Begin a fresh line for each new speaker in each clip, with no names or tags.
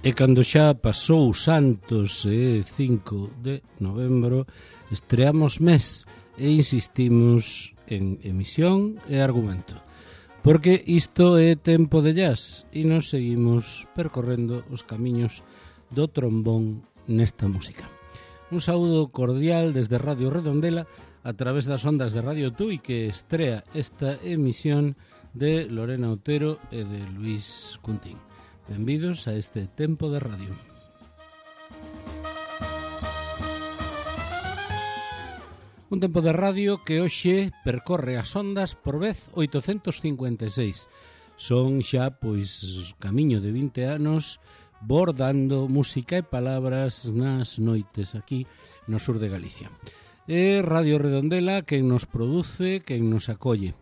E cando xa pasou Santos 5 de novembro, estreamos mes e insistimos en emisión e argumento. Porque isto é tempo de jazz e nos seguimos percorrendo os camiños do trombón nesta música. Un saúdo cordial desde Radio Redondela a través das ondas de Radio Tui que estrea esta emisión de Lorena Otero e de Luis Cuntín. Benvidos a este tempo de radio. Un tempo de radio que hoxe percorre as ondas por vez 856. Son xa, pois, camiño de 20 anos bordando música e palabras nas noites aquí no sur de Galicia. É Radio Redondela quen nos produce, quen nos acolle.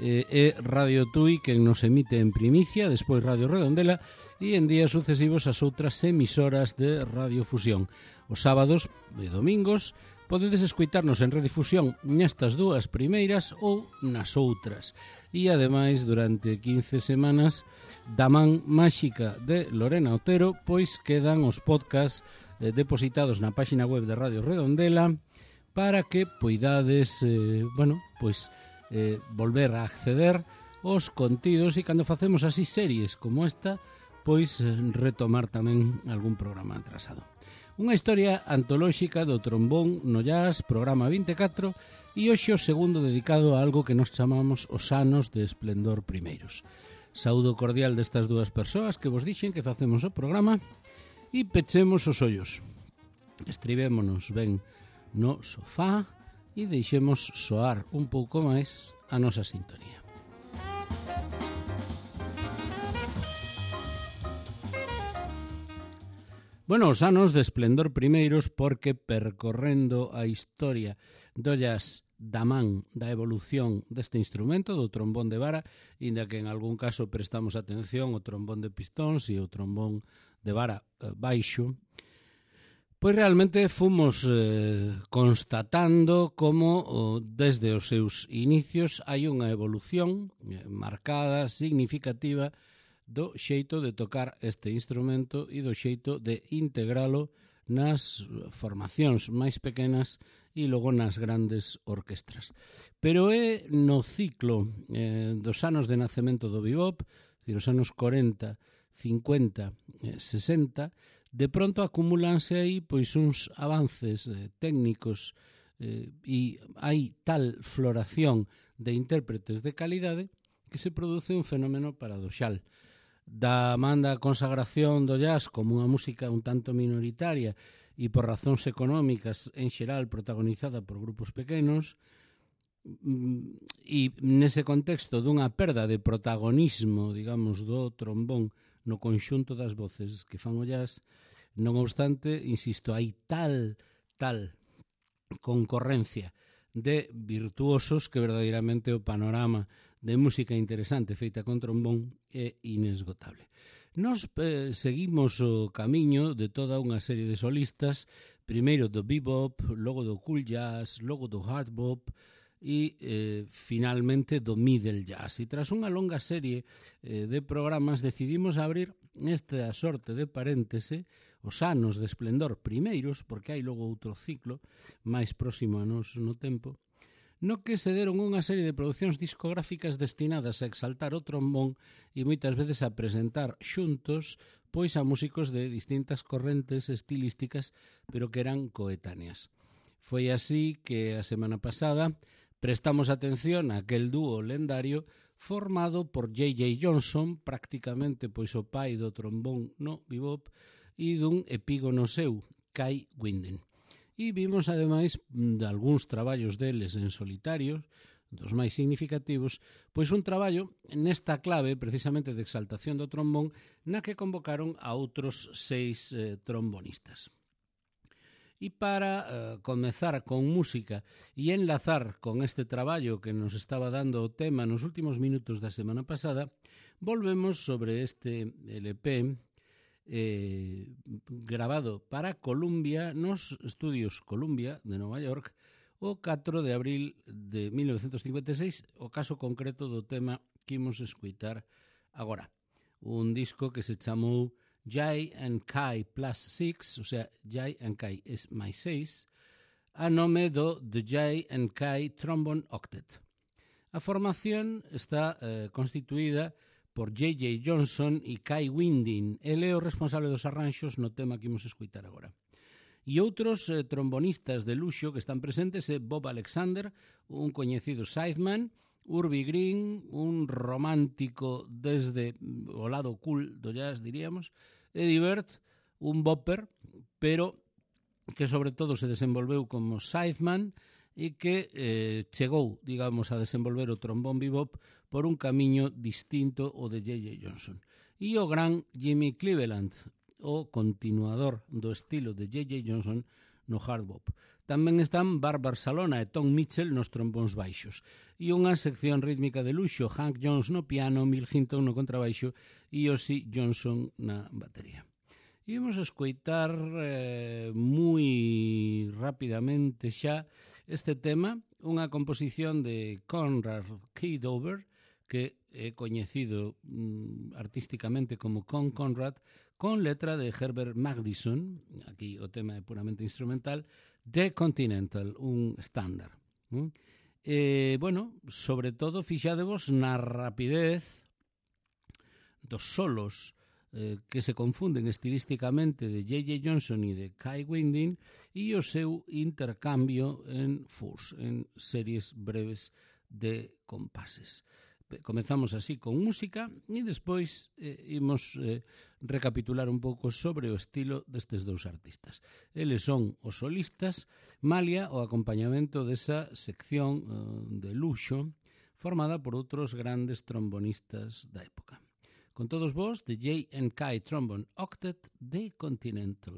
É Radio Tui quen nos emite en primicia, despois Radio Redondela e en días sucesivos as outras emisoras de radiofusión. Os sábados e domingos podedes escoitarnos en redifusión nestas dúas primeiras ou nas outras. E ademais durante 15 semanas da man máxica de Lorena Otero, pois quedan os podcasts depositados na páxina web de Radio Redondela para que poidades, volver a acceder aos contidos e cando facemos así series como esta, pois retomar tamén algún programa atrasado. Unha historia antolóxica do trombón no jazz, programa 24, e hoxe o segundo dedicado a algo que nos chamamos os anos de esplendor primeiros. Saúdo cordial destas dúas persoas que vos dixen que facemos o programa e pechemos os ollos. Estribémonos ben no sofá e deixemos soar un pouco máis a nosa sintonía. Bueno, os anos de esplendor primeiros porque percorrendo a historia do jazz da man da evolución deste instrumento, do trombón de vara, inda que en algún caso prestamos atención ao trombón de pistóns e ao trombón de vara baixo, pois realmente fomos constatando como desde os seus inicios hai unha evolución marcada, significativa, do xeito de tocar este instrumento e do xeito de integralo nas formacións máis pequenas e logo nas grandes orquestras. Pero é no ciclo dos anos de nacemento do bebop, os anos 40, 50, 60, de pronto acumúlanse aí pois uns avances técnicos e hai tal floración de intérpretes de calidade que se produce un fenómeno paradoxal. Da man da consagración do jazz como unha música un tanto minoritaria e por razóns económicas en xeral protagonizada por grupos pequenos, e nese contexto dunha perda de protagonismo, digamos, do trombón no conxunto das voces que fan o jazz, non obstante, insisto, hai tal concorrencia de virtuosos que verdadeiramente o panorama de música interesante feita con trombón é inesgotable. Nos seguimos o camiño de toda unha serie de solistas, primeiro do bebop, logo do cool jazz, logo do hard bop e finalmente do middle jazz. E tras unha longa serie de programas decidimos abrir esta sorte de paréntese, os anos de esplendor primeiros, porque hai logo outro ciclo máis próximo a nos no tempo, no que se deron unha serie de producións discográficas destinadas a exaltar o trombón e moitas veces a presentar xuntos pois a músicos de distintas correntes estilísticas, pero que eran coetáneas. Foi así que a semana pasada prestamos atención a aquel dúo lendario formado por J.J. Johnson, prácticamente pois o pai do trombón no bebop, e dun epígono seu, Kai Winden. E vimos, ademais, de algúns traballos deles en solitario, dos máis significativos, pois un traballo nesta clave, precisamente de exaltación do trombón, na que convocaron a outros 6 trombonistas. E para comezar con música e enlazar con este traballo que nos estaba dando o tema nos últimos minutos da semana pasada, volvemos sobre este LP grabado para Columbia nos estudios Columbia de Nova York o 4 de abril de 1956, o caso concreto do tema que imos escoitar agora. Un disco que se chamou J&K plus 6, o sea, J&K es máis 6, a nome do The J&K Trombone Octet. A formación está constituída por J.J. Johnson e Kai Winding. Ele é o responsable dos arranxos no tema que imos escutar agora. E outros trombonistas de luxo que están presentes é Bob Alexander, un coñecido sideman, Urbie Green, un romántico desde o lado cool do jazz, diríamos, Eddie Bird, un bopper, pero que sobre todo se desenvolveu como sideman e que chegou, digamos, a desenvolver o trombón bebop por un camiño distinto ao de J.J. Johnson. E o gran Jimmy Cleveland, o continuador do estilo de J.J. Johnson no hard bop. Tamén están Barbara Salona e Tom Mitchell nos trombóns baixos. E unha sección rítmica de luxo, Hank Jones no piano, Mill Hinton no contrabaixo e Ossie Johnson na batería. E vamos a escoitar moi rapidamente xa este tema, unha composición de Conrad Kidover, que é coñecido artísticamente como Conrad, con letra de Herbert Magdison, aquí o tema é puramente instrumental, The Continental, un estándar. Bueno, sobre todo, fixadevos na rapidez dos solos que se confunden estilísticamente de J.J. Johnson e de Kai Winding e o seu intercambio en furs, en series breves de compases. Comezamos así con música e despois imos recapitular un pouco sobre o estilo destes dous artistas. Eles son os solistas, malia o acompañamento desa sección de luxo formada por outros grandes trombonistas da época. Con todos vos, The J&K Trombone Octet, The Continental.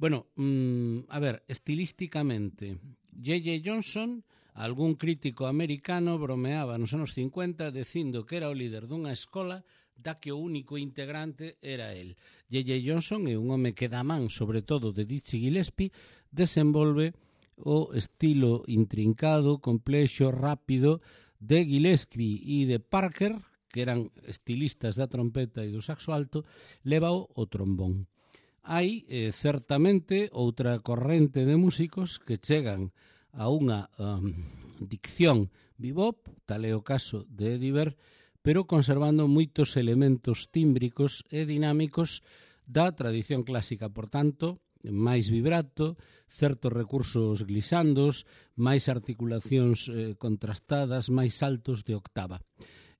Bueno, a ver, estilísticamente, J.J. Johnson, algún crítico americano bromeaba nos anos 50 dicindo que era o líder dunha escola da que o único integrante era el. J.J. Johnson é un home que dá man, sobre todo de Dizzy Gillespie, desenvolve o estilo intrincado, complexo, rápido de Gillespie e de Parker, que eran estilistas da trompeta e do saxo alto, levao o trombón. Hai, certamente, outra corrente de músicos que chegan a unha dicción bebop, tal é o caso de Eddie Vedder, pero conservando moitos elementos tímbricos e dinámicos da tradición clásica, por tanto, máis vibrato, certos recursos glisandos, máis articulacións contrastadas, máis saltos de octava.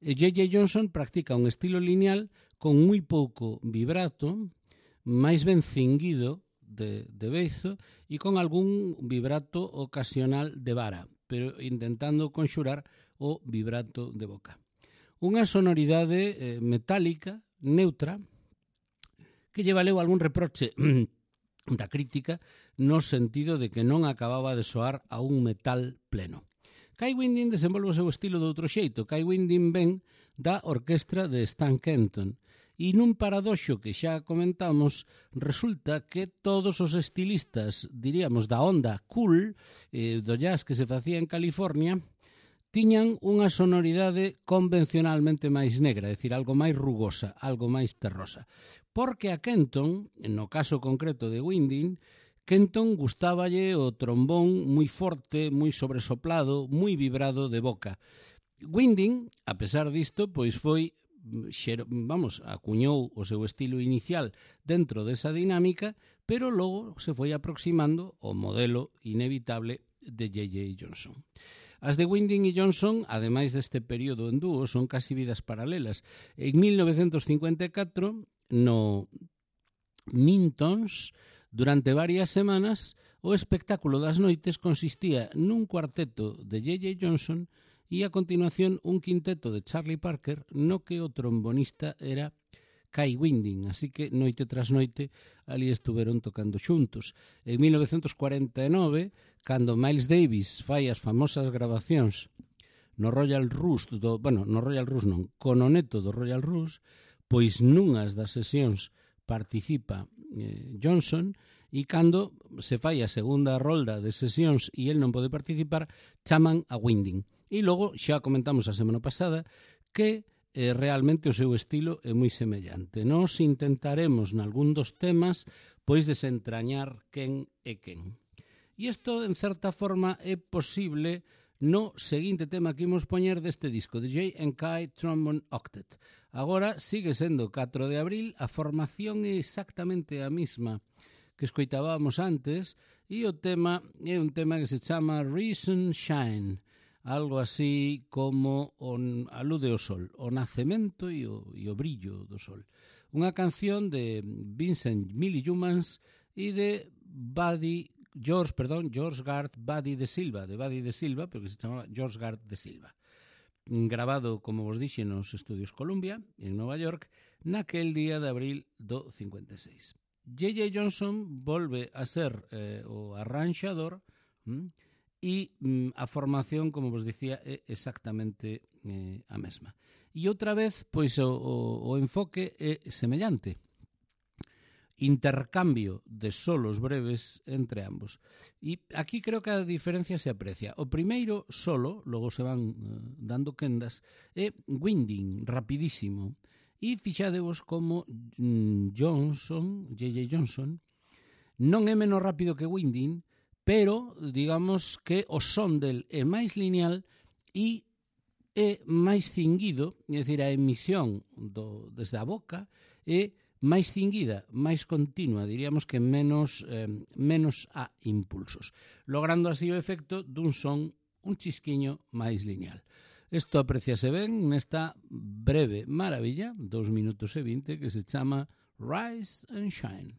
J.J. Johnson practica un estilo lineal con moi pouco vibrato, máis ben cinguido de beizo e con algún vibrato ocasional de vara, pero intentando conxurar o vibrato de boca. Unha sonoridade metálica, neutra, que lle valeu algún reproche da crítica no sentido de que non acababa de soar a un metal pleno. Kai Winding desenvolve o seu estilo de outro xeito. Kai Winding ven da orquestra de Stan Kenton e nun paradoxo que xa comentamos resulta que todos os estilistas, diríamos, da onda cool do jazz que se facía en California tiñan unha sonoridade convencionalmente máis negra, é dicir, algo máis rugosa, algo máis terrosa. Porque a Kenton, no caso concreto de Winding, Kenton gustáballe o trombón moi forte, moi sobresoplado, moi vibrado de boca. Winding, a pesar disto, pois foi, acuñou o seu estilo inicial dentro desa dinámica, pero logo se foi aproximando ao modelo inevitable de J.J. Johnson. As de Winding e Johnson, ademais deste período en dúo, son casi vidas paralelas. En 1954, no Mintons, durante varias semanas, o espectáculo das noites consistía nun cuarteto de J.J. Johnson e a continuación un quinteto de Charlie Parker no que o trombonista era Kai Winding, así que noite tras noite ali estuveron tocando xuntos. En 1949, cando Miles Davis fai as famosas grabacións no Royal Roost, co noneto do Royal Roost, pois nunhas das sesións participa Johnson e cando se fai a segunda rolda de sesións e el non pode participar, chaman a Winding. E logo, xa comentamos a semana pasada, que realmente o seu estilo é moi semellante. Nos intentaremos, nalgún dos temas, pois desentrañar quen é quen. E isto, en certa forma, é posible no seguinte tema que imos poñer deste disco, de J&K Trombone Octet. Agora sigue sendo 4 de abril, a formación é exactamente a mesma que escoitábamos antes, e o tema é un tema que se chama Reason Shine, algo así como alude ao sol, o nacemento e o brillo do sol. Unha canción de Vincent Millie Youmans e de George Garth Buddy de Silva, pero que se chamaba George Garth de Silva. Grabado, como vos dixe, nos estudios Columbia, en Nova York, naquel día de abril do 56. J.J. Johnson volve a ser o arranxador e a formación, como vos dicía, é exactamente a mesma. E outra vez, pois o enfoque é semellante. Intercambio de solos breves entre ambos. E aquí creo que a diferencia se aprecia. O primeiro solo, logo se van dando quendas, é Winding, rapidísimo. E fixadevos como J.J. Johnson, non é menos rápido que Winding, pero digamos que o son del é máis lineal e é máis cinguido, é dicir, a emisión desde a boca é máis cinguida, máis continua, diríamos que menos a impulsos, logrando así o efecto dun son un chisquiño máis lineal. Isto apreciase ben nesta breve maravilla, 2 minutos e 20, que se chama Rise and Shine.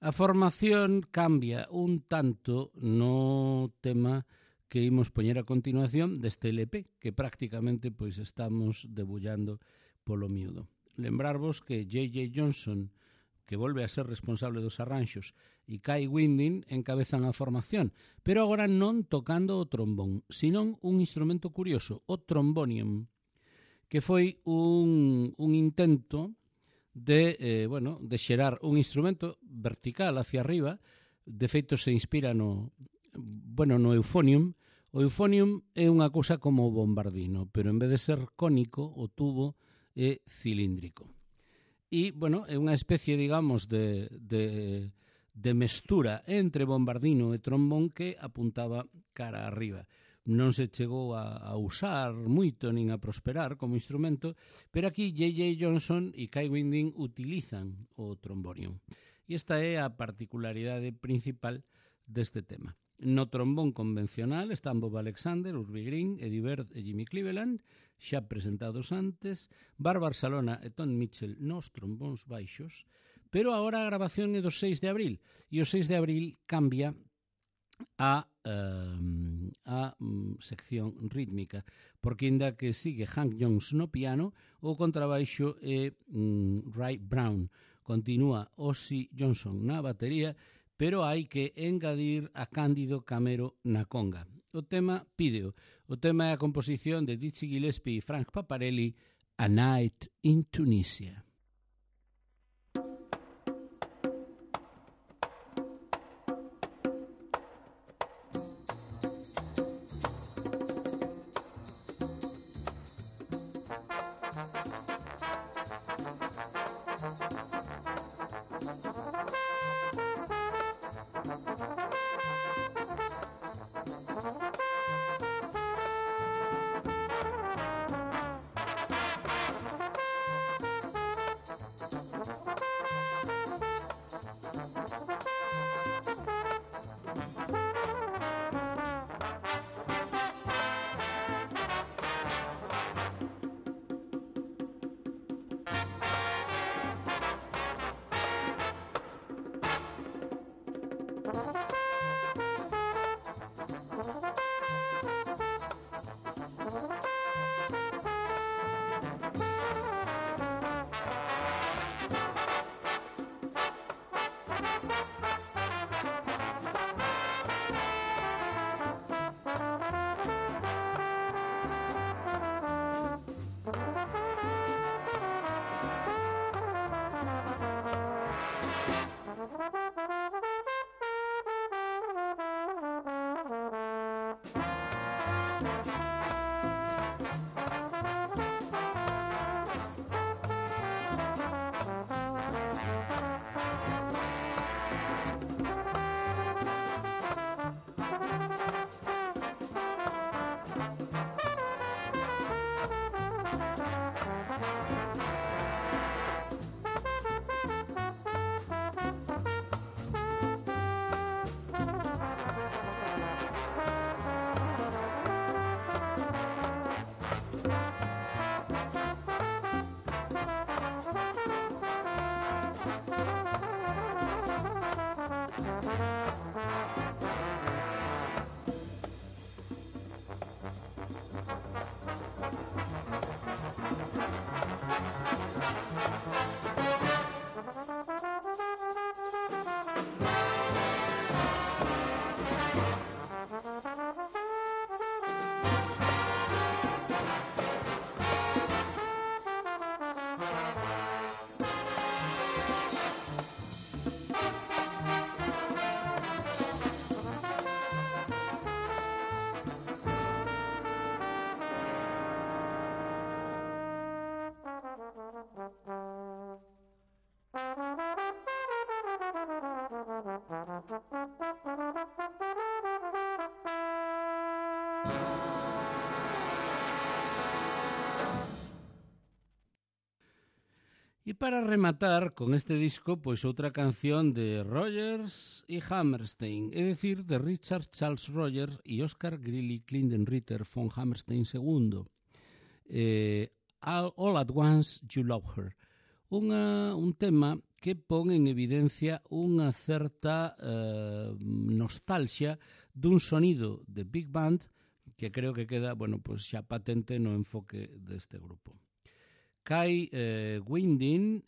A formación cambia un tanto no tema que imos poñer a continuación deste LP, que prácticamente pois estamos debullando polo miúdo. Lembrarvos que J.J. Johnson, que volve a ser responsable dos arranxos, e Kai Winding encabezan a formación, pero agora non tocando o trombón, senón un instrumento curioso, o trombonium, que foi un intento de xerar un instrumento vertical hacia arriba. De feito se inspira no euphonium. O euphonium é unha cousa como o bombardino, pero en vez de ser cónico, o tubo é cilíndrico. E, é unha especie, digamos, de mestura entre bombardino e trombón que apuntaba cara arriba. Non se chegou a usar moito nin a prosperar como instrumento, pero aquí J.J. Johnson e Kai Winding utilizan o trombonium. E esta é a particularidade principal deste tema. No trombón convencional están Bob Alexander, Urbie Green, Eddie Bird e Jimmy Cleveland, xa presentados antes, Bárbara Salona e Tom Mitchell nos trombóns baixos, pero agora a grabación é do 6 de abril, e o 6 de abril cambia a sección rítmica, porque ainda que sigue Hank Jones no piano, o contrabaixo é Ray Brown, continúa Ozzy Johnson na batería, pero hai que engadir a Cándido Camero na conga. O tema pídeo, o tema é a composición de Dizzy Gillespie e Frank Paparelli, A Night in Tunisia. E para rematar con este disco, pois outra canción de Rodgers e Hammerstein, é dicir, de Richard Charles Rodgers e Oscar Grilly Klindenritter von Hammerstein II. All at Once You Love Her. Un tema que pon en evidencia unha certa nostalgia dun sonido de Big Band que creo que queda, pues xa patente no enfoque deste grupo. Kai Winding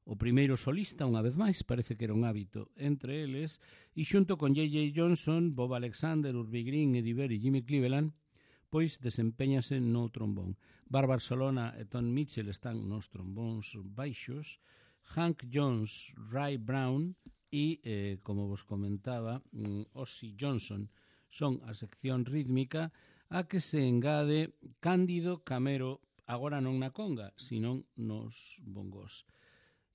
o primeiro solista, unha vez máis, parece que era un hábito entre eles, e xunto con J.J. Johnson, Bob Alexander, Urbie Green, Eddie Vedder e Jimmy Cleveland, pois desempeñase no trombón. Barbar Solona e Tom Mitchell están nos trombóns baixos, Hank Jones, Ray Brown e, como vos comentaba, Ozzy Johnson son a sección rítmica a que se engade Cándido Camero, agora non na conga, sino nos bongos.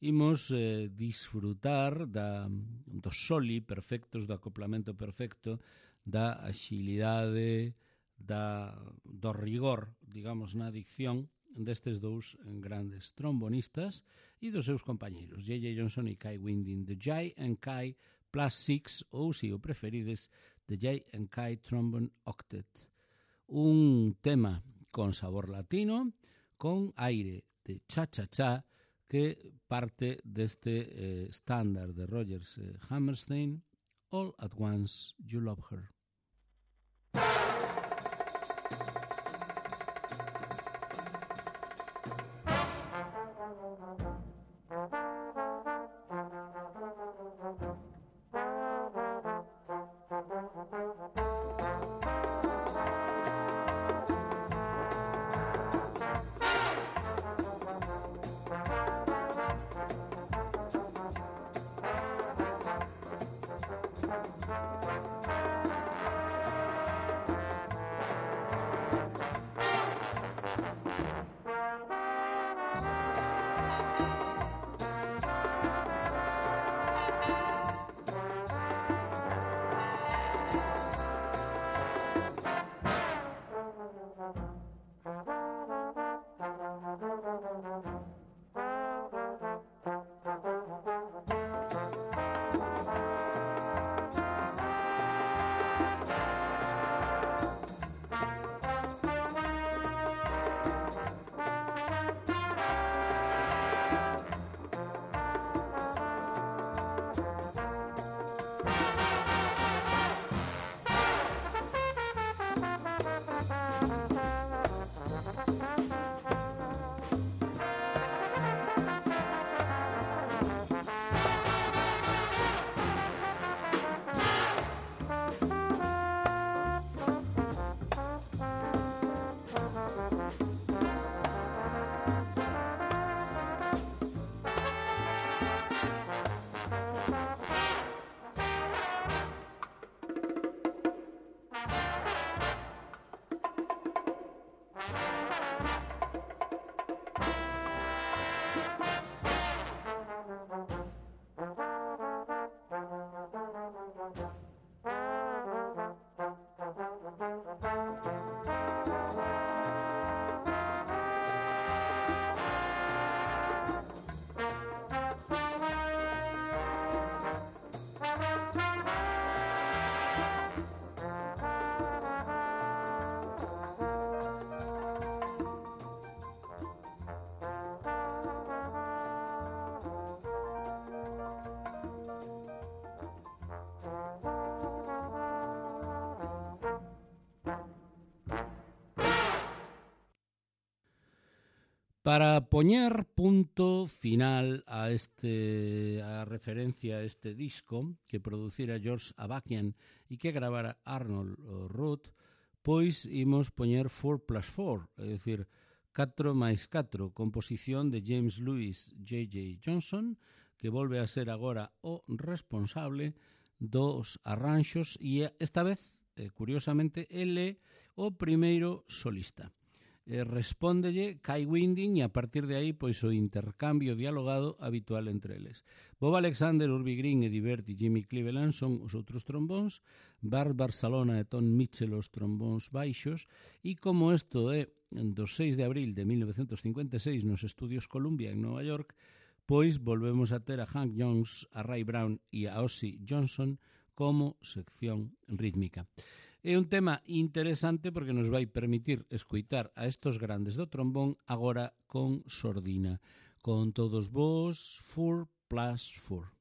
Imos disfrutar dos soli perfectos, do acoplamento perfecto, da axilidade, do rigor, digamos, na dicción destes dous grandes trombonistas e dos seus compañeiros, J.J. Johnson e Kai Winding, The Jay and Kai Plus 6, ou, se o preferides, The Jay and Kai Trombone Octet. Un tema con sabor latino, con aire de cha-cha-cha, que parte deste estándar de Rodgers Hammerstein, All at Once You Love Her. Para poñer punto final a referencia a este disco que producira George Avakian e que gravara Arnold Roth, pois imos poñer 4+4, é dicir, 4 máis 4, composición de James Lewis J.J. Johnson, que volve a ser agora o responsable dos arranxos e esta vez, curiosamente, ele o primeiro solista. respóndelle Kai Winding e a partir de aí pois o intercambio dialogado habitual entre eles. Bob Alexander, Urbie Green, Eddie Bert e Jimmy Cleveland son os outros trombóns, Bart Barcelona e Tom Mitchell os trombóns baixos, e como isto é do 6 de abril de 1956 nos estudios Columbia en Nova York, pois volvemos a ter a Hank Jones, a Ray Brown e a Ozzy Johnson como sección rítmica. É un tema interesante porque nos vai permitir escoitar a estos grandes do trombón agora con sordina. Con todos vos, 4+4.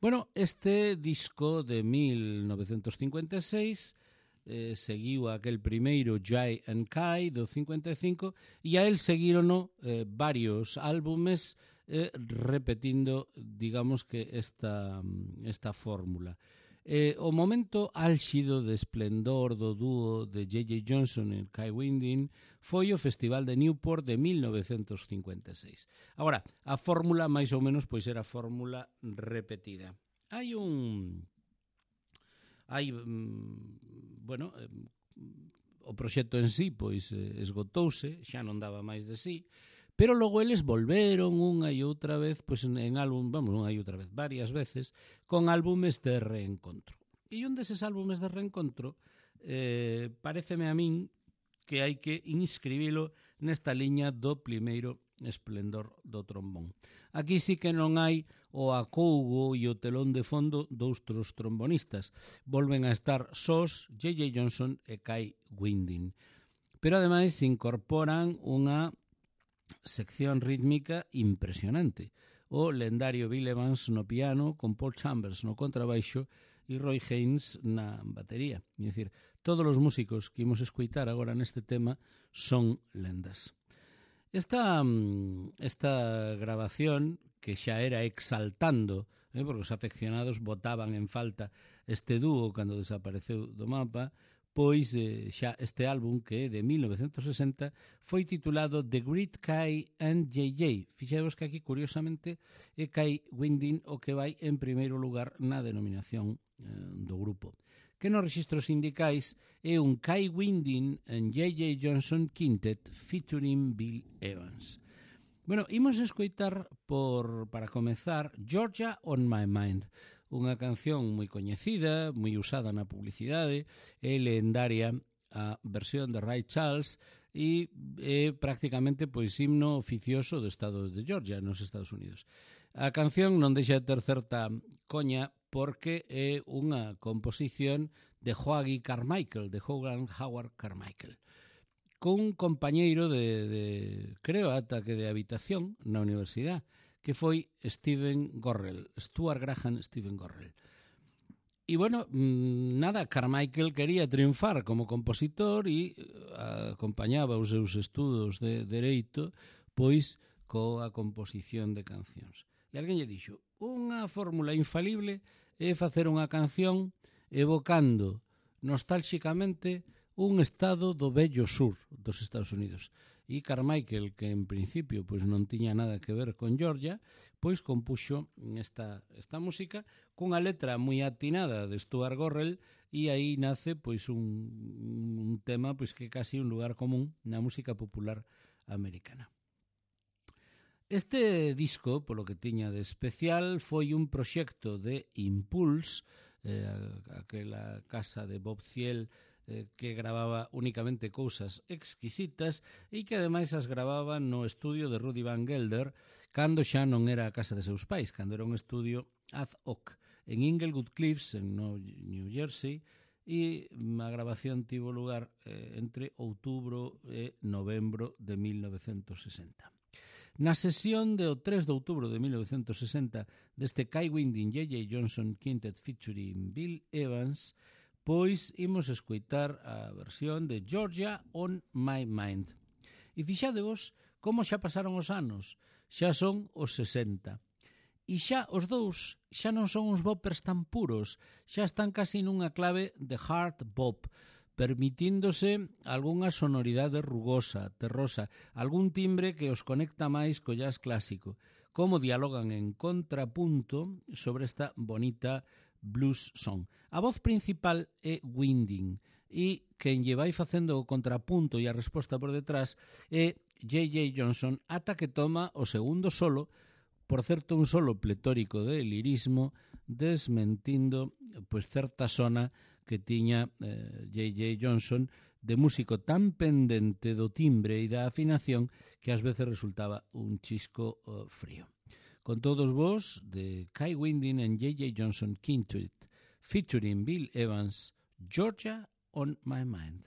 Bueno, este disco de 1956 seguiu aquel primeiro Jai and Kai do 55 e a él seguirono varios álbumes repetindo, digamos que esta fórmula. O momento álxido de esplendor do dúo de J.J. Johnson e Kai Winding foi o Festival de Newport de 1956. Agora, a fórmula máis ou menos pois era a fórmula repetida. Bueno, o proxecto en sí pois esgotouse, xa non daba máis de sí, pero logo eles volveron unha e outra vez, pois en álbum, unha e outra vez, varias veces, con álbumes de reencontro. E un deses álbumes de reencontro pareceme a min que hai que inscribilo nesta liña do primeiro esplendor do trombón. Aquí sí que non hai o acougo e o telón de fondo doutros trombonistas. Volven a estar sós J.J. Johnson e Kai Winding. Pero ademais se incorporan unha sección rítmica impresionante. O lendario Bill Evans no piano, con Paul Chambers no contrabaixo e Roy Haynes na batería. É dicir, todos os músicos que imos escoitar agora neste tema son lendas. Esta grabación, que xa era exaltando, porque os afeccionados botaban en falta este dúo cando desapareceu do mapa, pois xa este álbum, que é de 1960, foi titulado The Great Kai and J.J. Fixemos que aquí, curiosamente, é Kai Winding o que vai en primeiro lugar na denominación do grupo, que nos registros sindicais é un Kai Winding and J.J. Johnson Quintet featuring Bill Evans. Bueno, imos escoitar para comezar Georgia on My Mind, unha canción moi coñecida, moi usada na publicidade, é lendaria a versión de Ray Charles e é prácticamente pois himno oficioso do estado de Georgia nos Estados Unidos. A canción non deixa de ter certa coña porque é unha composición de Hoagy Carmichael, de Howard Carmichael, con un compañeiro creo ata que de habitación na universidade, que foi Stuart Graham Stephen Gorrell. E bueno, nada, Carmichael quería triunfar como compositor e acompañaba os seus estudos de Dereito pois coa composición de cancións. E alguén lle dixo, unha fórmula infalible é facer unha canción evocando nostálxicamente un estado do vello sur dos Estados Unidos. E Carmichael, que en principio pois non tiña nada que ver con Georgia, pois compuxo esta música cunha letra moi atinada de Stuart Gorrell, e aí nace pois un tema pois que é casi un lugar común na música popular americana. Este disco, polo que tiña de especial, foi un proxecto de Impulse, aquela casa de Bob Thiel, que gravaba únicamente cousas exquisitas e que ademais as gravaba no estudio de Rudy Van Gelder cando xa non era a casa de seus pais, cando era un estudio ad hoc en Inglewood Cliffs, en New Jersey, e a grabación tivo lugar entre outubro e novembro de 1960. Na sesión do 3 de outubro de 1960 deste Kai Winding J.J. Johnson Quintet featuring Bill Evans, pois imos escoitar a versión de Georgia on My Mind. E fixadevos como xa pasaron os anos, xa son os 60. E xa os dous xa non son uns boppers tan puros, xa están casi nunha clave de hard bop, permitíndose algunha sonoridade rugosa, terrosa, algún timbre que os conecta máis co jazz clásico, como dialogan en contrapunto sobre esta bonita blues song. A voz principal é Winding, e quen lle vai facendo o contrapunto e a resposta por detrás é J.J. Johnson, ata que toma o segundo solo, por certo un solo pletórico de lirismo, desmentindo pois certa zona que tiña J.J. Johnson de músico tan pendente do timbre e da afinación que ás veces resultaba un chisco frío. Con todos vos, de Kai Winding and J.J. Johnson Quintet featuring Bill Evans, Georgia on My Mind.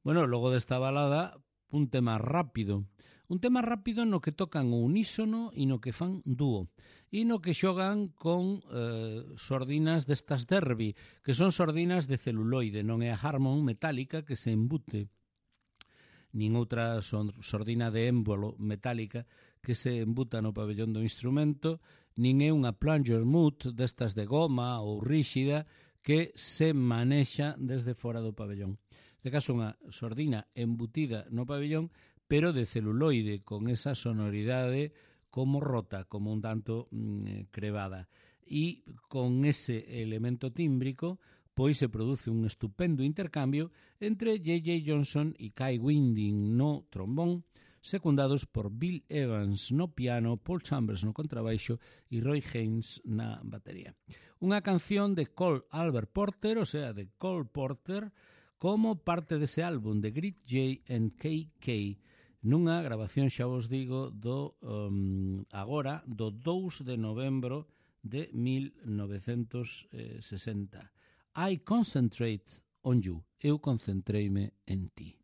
Bueno, logo desta balada, un tema rápido no que tocan o unísono e no que fan dúo, e no que xogan con sordinas destas Derby, que son sordinas de celuloide, non é a Harmon metálica que se embute, nin outra sordina de émbolo metálica que se embuta no pabellón do instrumento, nin é unha plunger mute destas de goma ou ríxida que se manexa desde fora do pabellón. De caso, unha sordina embutida no pabellón, pero de celuloide, con esa sonoridade como rota, como un tanto crevada. E con ese elemento tímbrico, pois se produce un estupendo intercambio entre J.J. Johnson e Kai Winding no trombón, secundados por Bill Evans no piano, Paul Chambers no contrabaixo e Roy Haynes na batería. Unha canción de Cole Albert Porter, o sea, de Cole Porter, como parte dese álbum de Great J and KK, nunha grabación, xa vos digo, agora, do 2 de novembro de 1960. I concentrate on you. Eu concentreime en ti.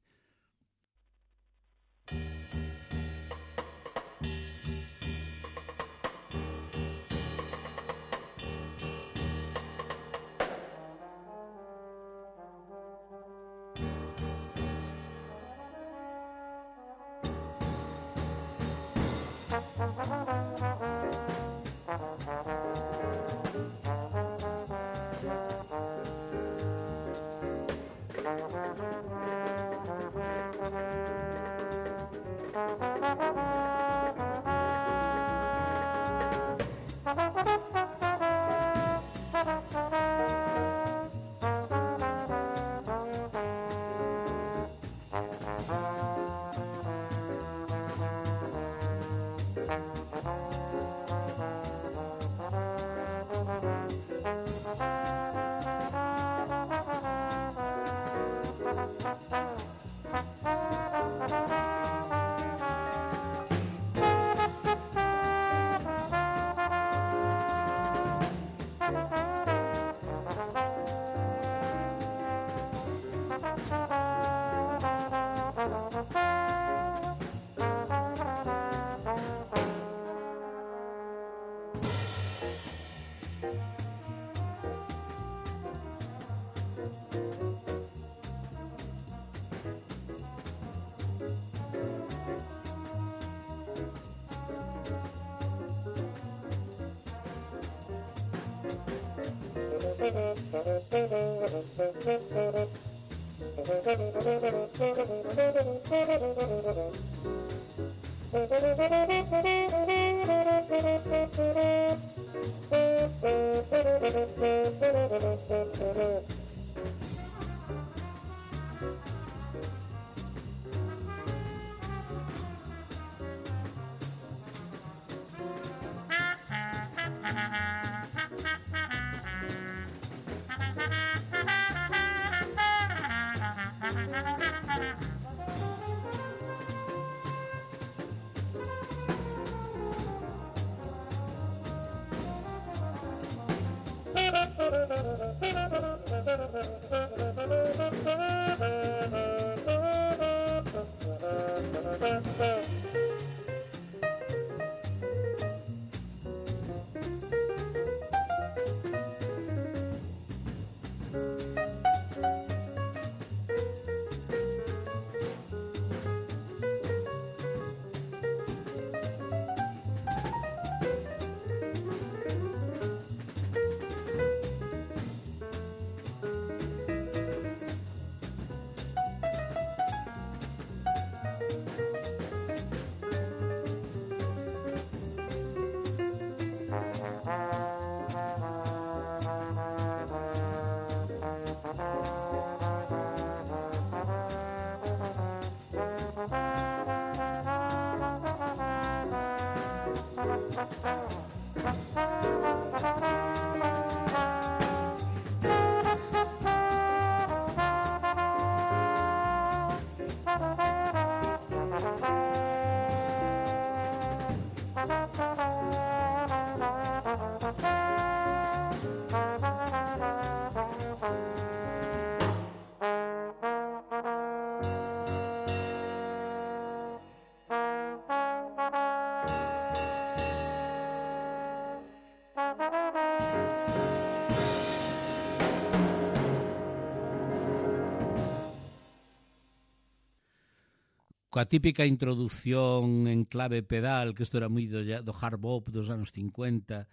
Coa típica introducción en clave pedal, que isto era moi do hard bop dos anos 50,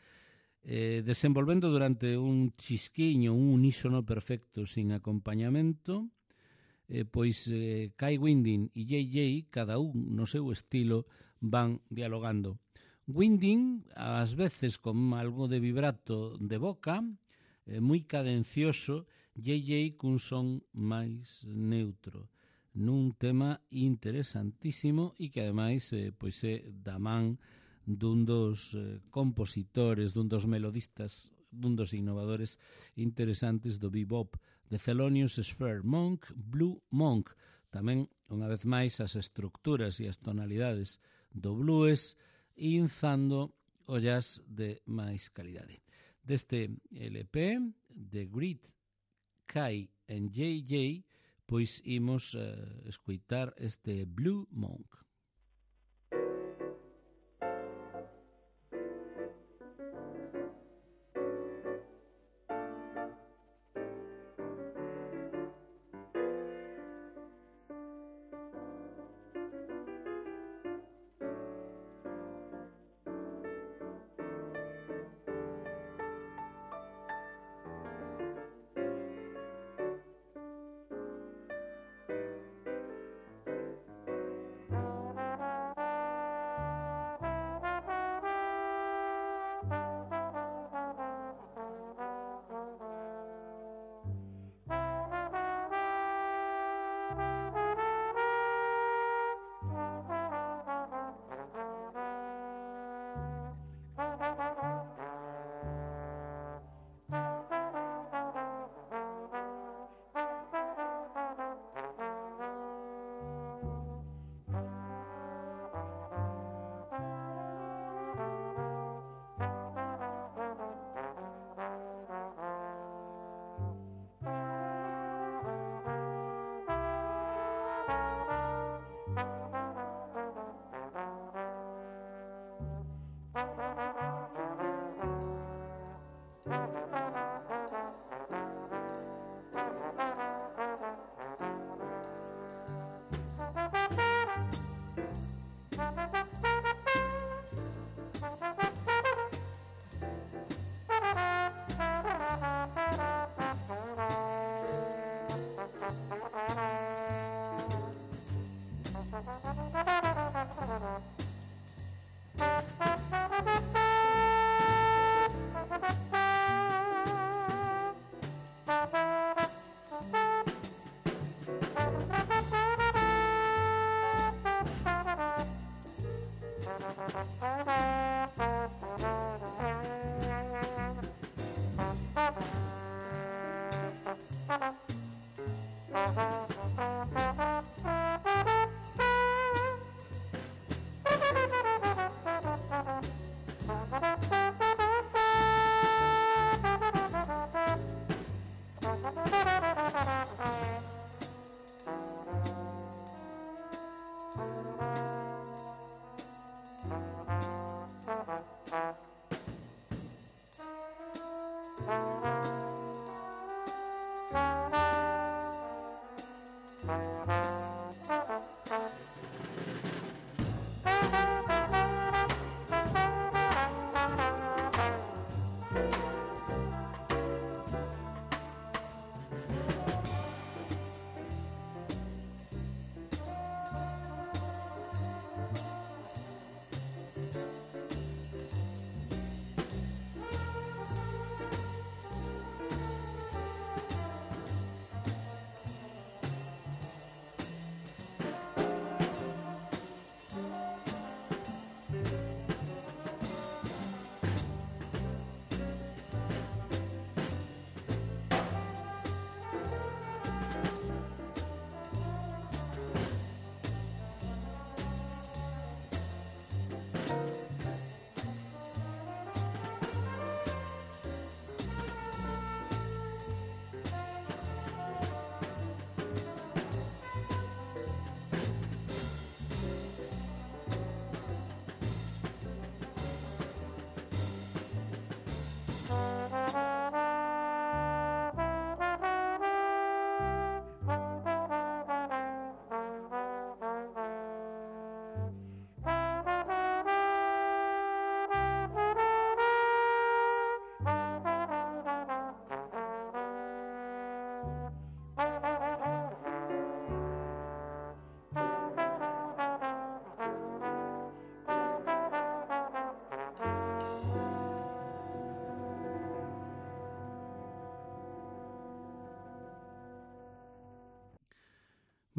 desenvolvendo durante un chisquiño, un unísono perfecto sin acompañamento, pois Kai Winding e JJ, cada un no seu estilo, van dialogando. Winding, ás veces con algo de vibrato de boca, moi cadencioso, JJ cun son máis neutro, nun tema interesantísimo e que ademais pois é da man dun dos compositores, dun dos melodistas, dun dos innovadores interesantes do bebop, de Thelonious Sphere, Monk, Blue Monk. Tamén, unha vez máis, as estructuras e as tonalidades do blues inzando o jazz de máis calidade. Deste LP, The Great Kai and JJ, pois imos escoitar este Blue Monk.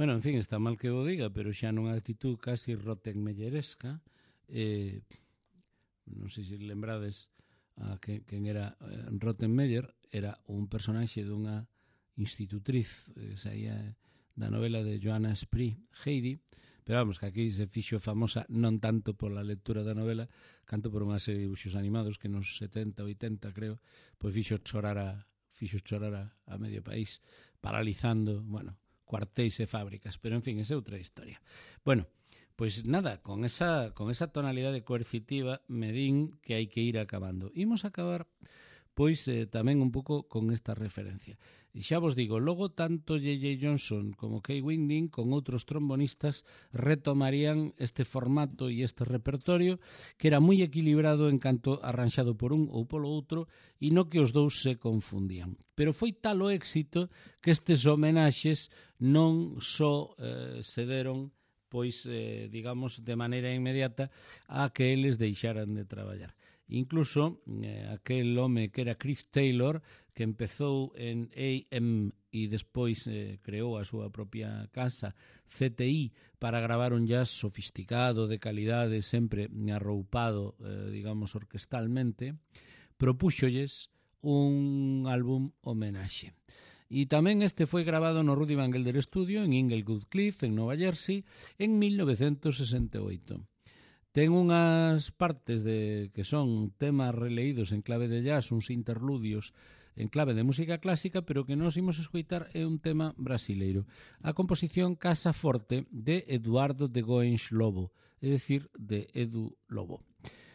Bueno, en fin, está mal que o diga, pero xa nunha actitud casi rottenmeyeresca. Non sei se lembrades a quen era Rottenmeier, era un personaxe dunha institutriz que saía da novela de Johanna Spry, Heidi, pero vamos, que aquí se fixo famosa non tanto pola lectura da novela, canto por unha serie de dibuixos animados que nos 70, 80, creo, pois fixo chorar a medio país, paralizando, bueno, cuartéis e fábricas, pero en fin, esa é outra historia. Bueno, pois nada, con esa tonalidade coercitiva me din que hai que ir acabando. Imos acabar pois tamén un pouco con esta referencia. E xa vos digo, logo tanto J.J. Johnson como Kay Winding con outros trombonistas retomarían este formato e este repertorio que era moi equilibrado en canto arranxado por un ou polo outro e no que os dous se confundían. Pero foi tal o éxito que estes homenaxes non só se deron pois, digamos, de maneira inmediata a que eles deixaran de traballar. Incluso aquel home que era Chris Taylor, que empezou en AM e despois creou a súa propia casa CTI para gravar un jazz sofisticado, de calidade, sempre arroupado, digamos, orquestalmente, propúxolles un álbum homenaxe. E tamén este foi grabado no Rudy Van Gelder Studio en Inglewood Cliff, en Nova Jersey, en 1968. Ten unhas partes que son temas releídos en clave de jazz, uns interludios en clave de música clásica, pero que nos imos escoitar é un tema brasileiro. A composición Casa Forte de Eduardo de Goens Lobo, é dicir, de Edu Lobo.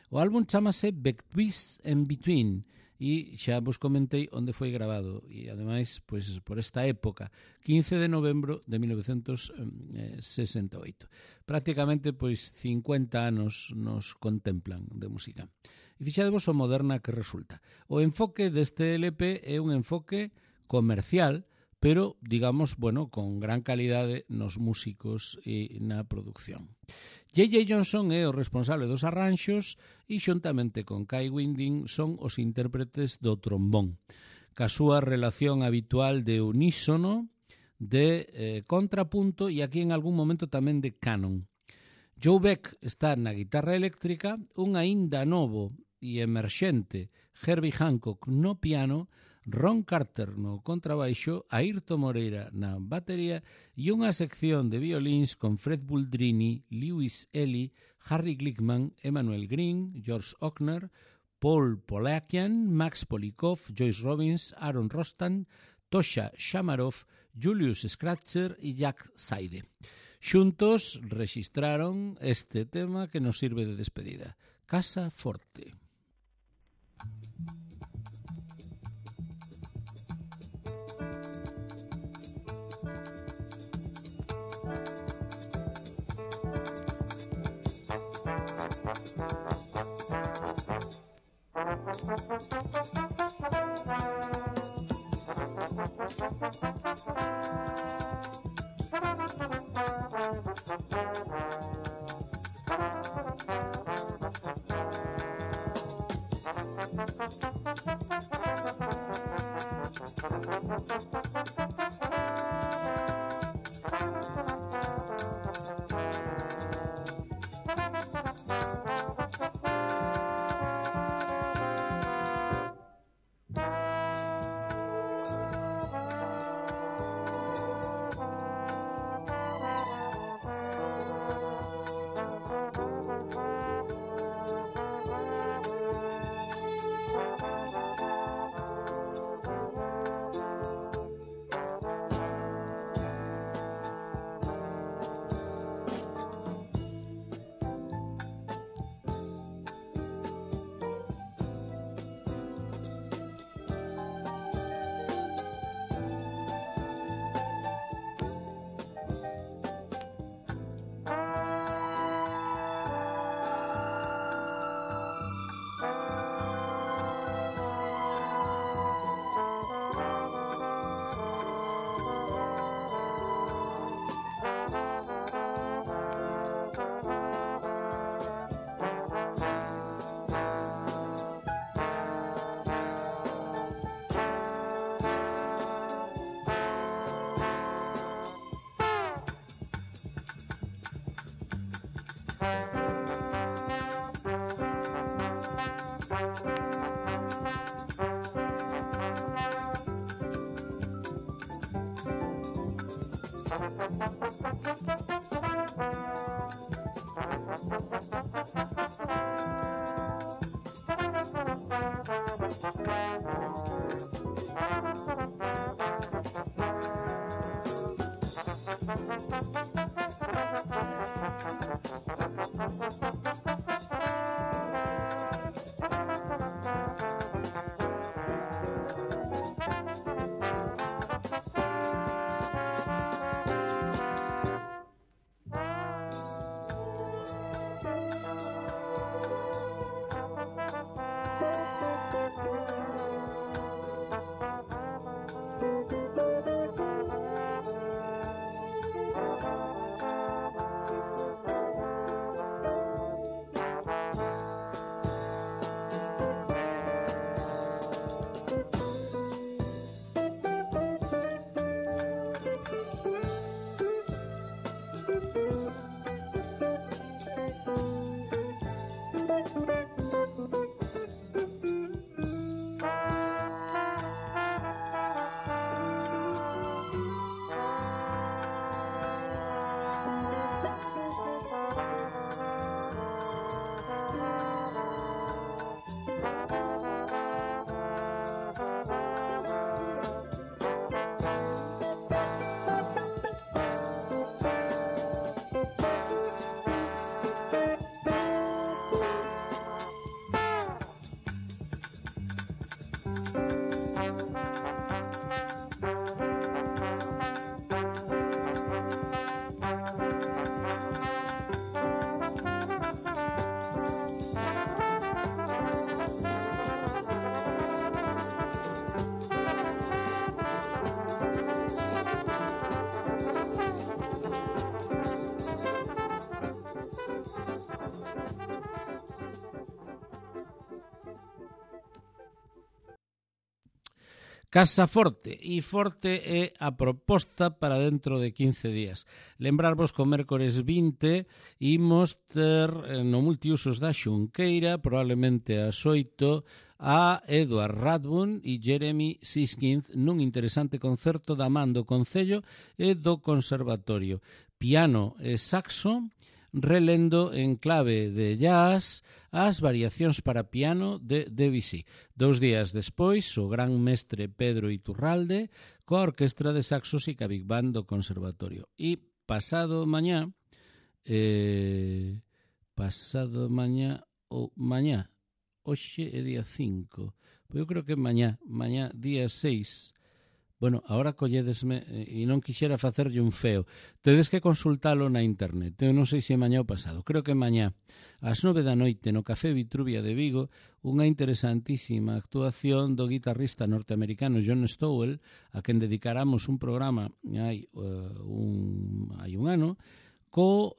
O álbum chamase Betwixt and Between, e xa vos comentei onde foi grabado, e ademais pois, por esta época, 15 de novembro de 1968. Prácticamente pois 50 anos nos contemplan de música. E fixadevos o moderna que resulta. O enfoque deste LP é un enfoque comercial, pero, digamos, bueno, con gran calidade nos músicos e na producción. J.J. Johnson é o responsable dos arranxos e xuntamente con Kai Winding son os intérpretes do trombón, ca súa relación habitual de unísono, de contrapunto e aquí en algún momento tamén de canon. Joe Beck está na guitarra eléctrica, un aínda novo e emerxente Herbie Hancock no piano, Ron Carter no contrabaixo, Airto Moreira na batería e unha sección de violíns con Fred Buldrini, Lewis Ellie, Harry Glickman, Emmanuel Green, George Ochner, Paul Polakian, Max Polikov, Joyce Robbins, Aaron Rostan, Tosha Shamarov, Julius Scratcher e Jack Saide. Xuntos rexistraron este tema que nos sirve de despedida, Casa Forte. Casa Forte, e Forte é a proposta para dentro de 15 días. Lembrarvos que o mércores 20 imos ter no multiusos da Xunqueira, probablemente ás 8, a Edward Radburn e Jeremy Siskind nun interesante concerto da man do Concello e do Conservatorio. Piano e saxo, relendo en clave de jazz as variacións para piano de Debussy. 2 días despois, o gran mestre Pedro Iturralde coa Orquestra de Saxos e ca Big Band do Conservatorio. E pasado mañá, hoxe é día 5, pois eu creo que mañá día 6. Bueno, agora colledesme e non quixera facerlle un feo. Tedes que consultalo na internet. Eu non sei se mañá ou pasado. Creo que mañá, ás 9 da noite, no Café Vitruvia de Vigo, unha interesantísima actuación do guitarrista norteamericano John Stowell, a quen dedicaramos un programa hai un ano, co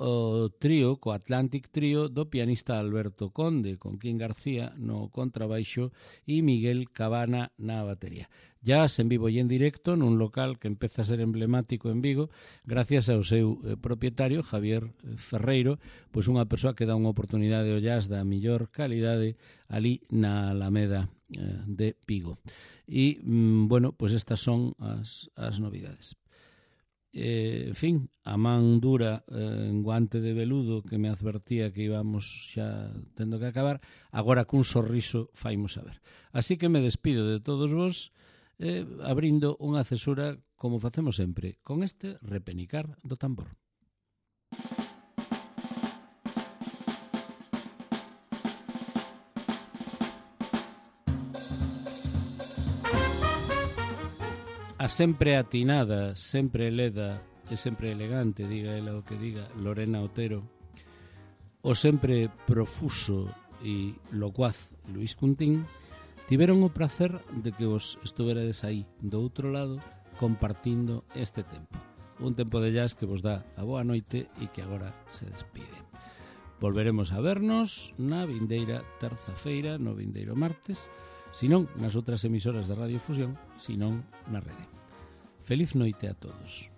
trío, co Atlantic Trío do pianista Alberto Conde, con Quín García no contrabaixo e Miguel Cabana na batería. Jazz en vivo e en directo nun local que empeza a ser emblemático en Vigo gracias ao seu propietario Javier Ferreiro, pois unha persoa que dá unha oportunidade ao jazz da mellor calidade ali na Alameda de Vigo. E, bueno, pois estas son as novidades. En fin, a man dura en guante de veludo que me advertía que íbamos xa tendo que acabar, agora cun sorriso faimos saber. Así que me despido de todos vos abrindo unha cesura como facemos sempre, con este repenicar do tambor. A sempre atinada, sempre leda e sempre elegante, diga ela o que diga, Lorena Otero, o sempre profuso e locuaz Luís Cuntín, tiveron o prazer de que vos estuverades aí do outro lado compartindo este tempo. Un tempo de jazz que vos dá a boa noite e que agora se despide. Volveremos a vernos na vindeira terza-feira, no vindeiro martes, senón nas outras emisoras de Radio Fusión, senón na rede. Feliz noite a todos.